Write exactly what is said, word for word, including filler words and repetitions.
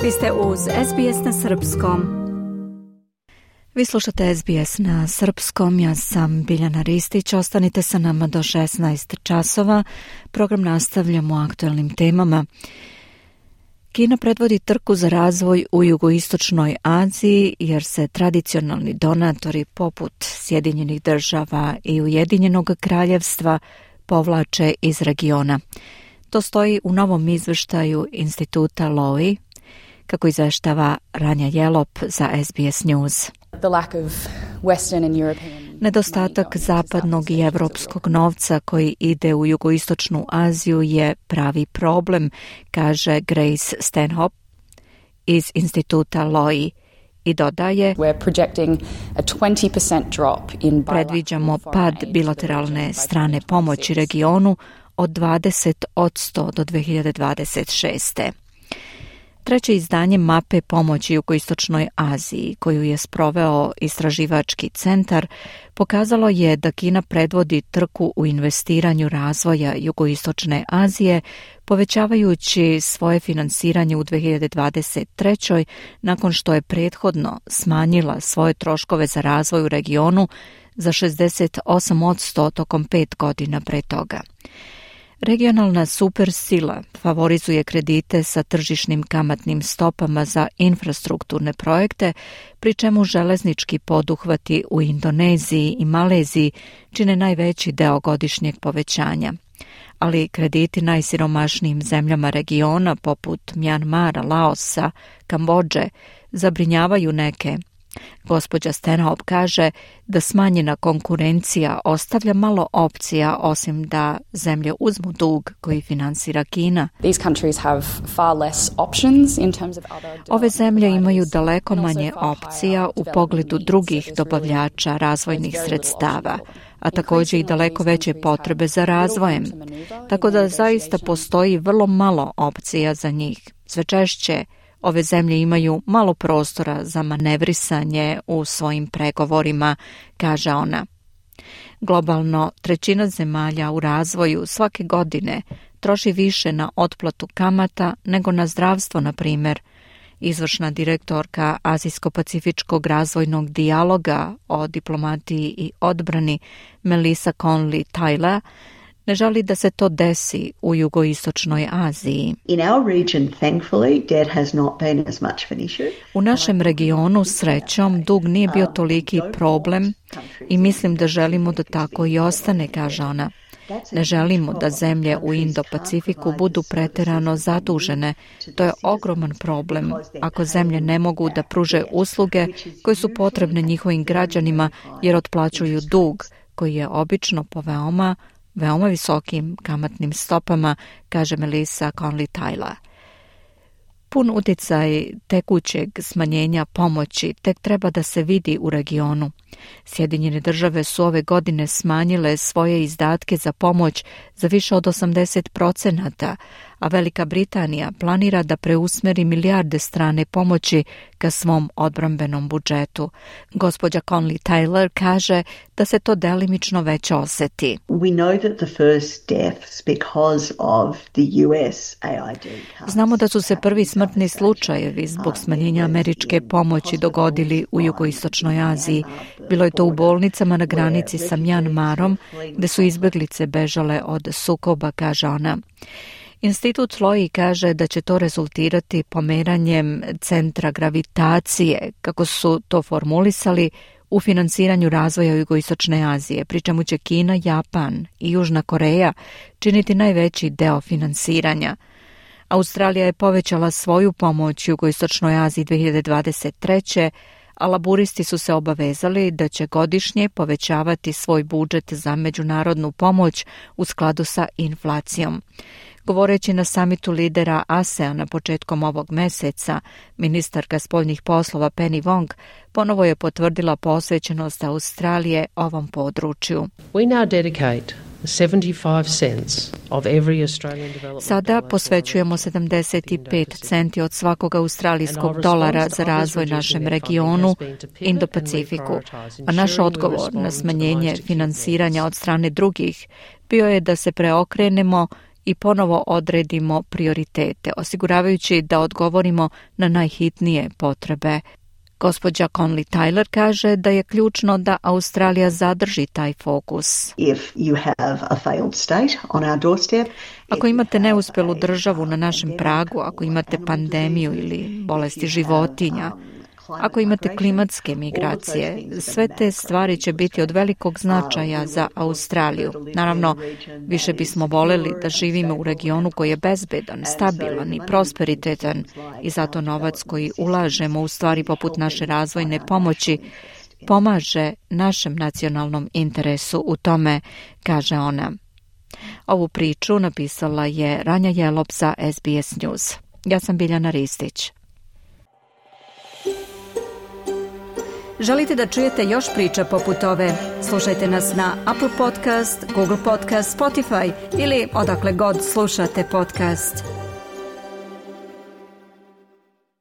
Vi ste uz S B S na srpskom. Vi slušate S B S na srpskom, ja sam Biljana Ristić, ostanite sa nama do šesnaest časova. Program nastavljamo aktuelnim temama. Kina predvodi trku za razvoj u jugoistočnoj Aziji jer se tradicionalni donatori poput Sjedinjenih država i Ujedinjenog kraljevstva povlače iz regiona. To stoji u novom izveštaju instituta Lowy, kako izveštava Ranja Jelop za S B S News. Nedostatak zapadnog i evropskog novca koji ide u jugoistočnu Aziju je pravi problem, kaže Grace Stanhope iz instituta Lowy i dodaje: predviđamo pad bilateralne strane pomoći regionu od dvadeset posto do dve hiljade dvadeset šeste. Treće izdanje mape pomoći jugoistočnoj Aziji, koju je sproveo istraživački centar, pokazalo je da Kina predvodi trku u investiranju razvoja jugoistočne Azije, povećavajući svoje finansiranje u dve hiljade dvadeset trećoj nakon što je prethodno smanjila svoje troškove za razvoj u regionu za šezdeset osam posto tokom pet godina pre toga. Regionalna supersila favorizuje kredite sa tržišnim kamatnim stopama za infrastrukturne projekte, pri čemu železnički poduhvati u Indoneziji i Maleziji čine najveći deo godišnjeg povećanja. Ali krediti najsiromašnijim zemljama regiona poput Mjanmara, Laosa, Kambodže zabrinjavaju neke. Gospođa Stanhope kaže da smanjena konkurencija ostavlja malo opcija osim da zemlje uzmu dug koji finansira Kina. Ove zemlje imaju daleko manje opcija u pogledu drugih dobavljača razvojnih sredstava, a također i daleko veće potrebe za razvojem, tako da zaista postoji vrlo malo opcija za njih. Sve češće ove zemlje imaju malo prostora za manevrisanje u svojim pregovorima, kaže ona. Globalno, trećina zemalja u razvoju svake godine troši više na otplatu kamata nego na zdravstvo, na primjer. Izvršna direktorka Azijsko-pacifičkog razvojnog dijaloga o diplomatiji i odbrani Melissa Conley-Tyler ne želi da se to desi u jugoistočnoj Aziji. U našem regionu, srećom, dug nije bio toliki problem i mislim da želimo da tako i ostane, kaže ona. Ne želimo da zemlje u Indo-Pacifiku budu preterano zadužene. To je ogroman problem ako zemlje ne mogu da pruže usluge koje su potrebne njihovim građanima jer otplaćuju dug koji je obično po veoma veoma visokim kamatnim stopama, kaže Melissa Conley-Tyler. Pun utjecaj tekućeg smanjenja pomoći tek treba da se vidi u regionu. Sjedinjene države su ove godine smanjile svoje izdatke za pomoć za više od osamdeset procenata, a Velika Britanija planira da preusmeri milijarde strane pomoći ka svom odbrambenom budžetu. Gospođa Conley-Tyler kaže da se to delimično već oseti. Znamo da su se prvi smrtni slučajevi zbog smanjenja američke pomoći dogodili u jugoistočnoj Aziji. Bilo je to u bolnicama na granici sa Mjanmarom, gde su izbeglice bežale od sukoba, kaže ona. Institut Lowy kaže da će to rezultirati pomeranjem centra gravitacije, kako su to formulisali, u finansiranju razvoja jugoistočne Azije, pri čemu će Kina, Japan i Južna Koreja činiti najveći deo finansiranja. Australija je povećala svoju pomoć jugoistočnoj Aziji dve hiljade dvadeset treće, a laburisti su se obavezali da će godišnje povećavati svoj budžet za međunarodnu pomoć u skladu sa inflacijom. Govoreći na samitu lidera ASEANA početkom ovog meseca, ministarka spoljnih poslova Penny Wong ponovo je potvrdila posvećenost Australije ovom području. We now dedicate seventy-five cents of every Australian development. Sada posvećujemo sedamdeset pet centi od svakog australijskog dolara za razvoj našem regionu, Indo-Pacifiku, a naš odgovor na smanjenje finansiranja od strane drugih bio je da se preokrenemo i ponovo odredimo prioritete, osiguravajući da odgovorimo na najhitnije potrebe. Gospođa Conley Tyler kaže da je ključno da Australija zadrži taj fokus. Ako imate neuspjelu državu na našem pragu, ako imate pandemiju ili bolesti životinja, ako imate klimatske migracije, sve te stvari će biti od velikog značaja za Australiju. Naravno, više bismo voljeli da živimo u regionu koji je bezbedan, stabilan i prosperitetan i zato novac koji ulažemo u stvari poput naše razvojne pomoći pomaže našem nacionalnom interesu u tome, kaže ona. Ovu priču napisala je Ranja Jelop za S B S News. Ja sam Biljana Ristić. Želite da čujete još priča poput ove? Slušajte nas na Apple Podcast, Google Podcast, Spotify ili odakle god slušate podcast.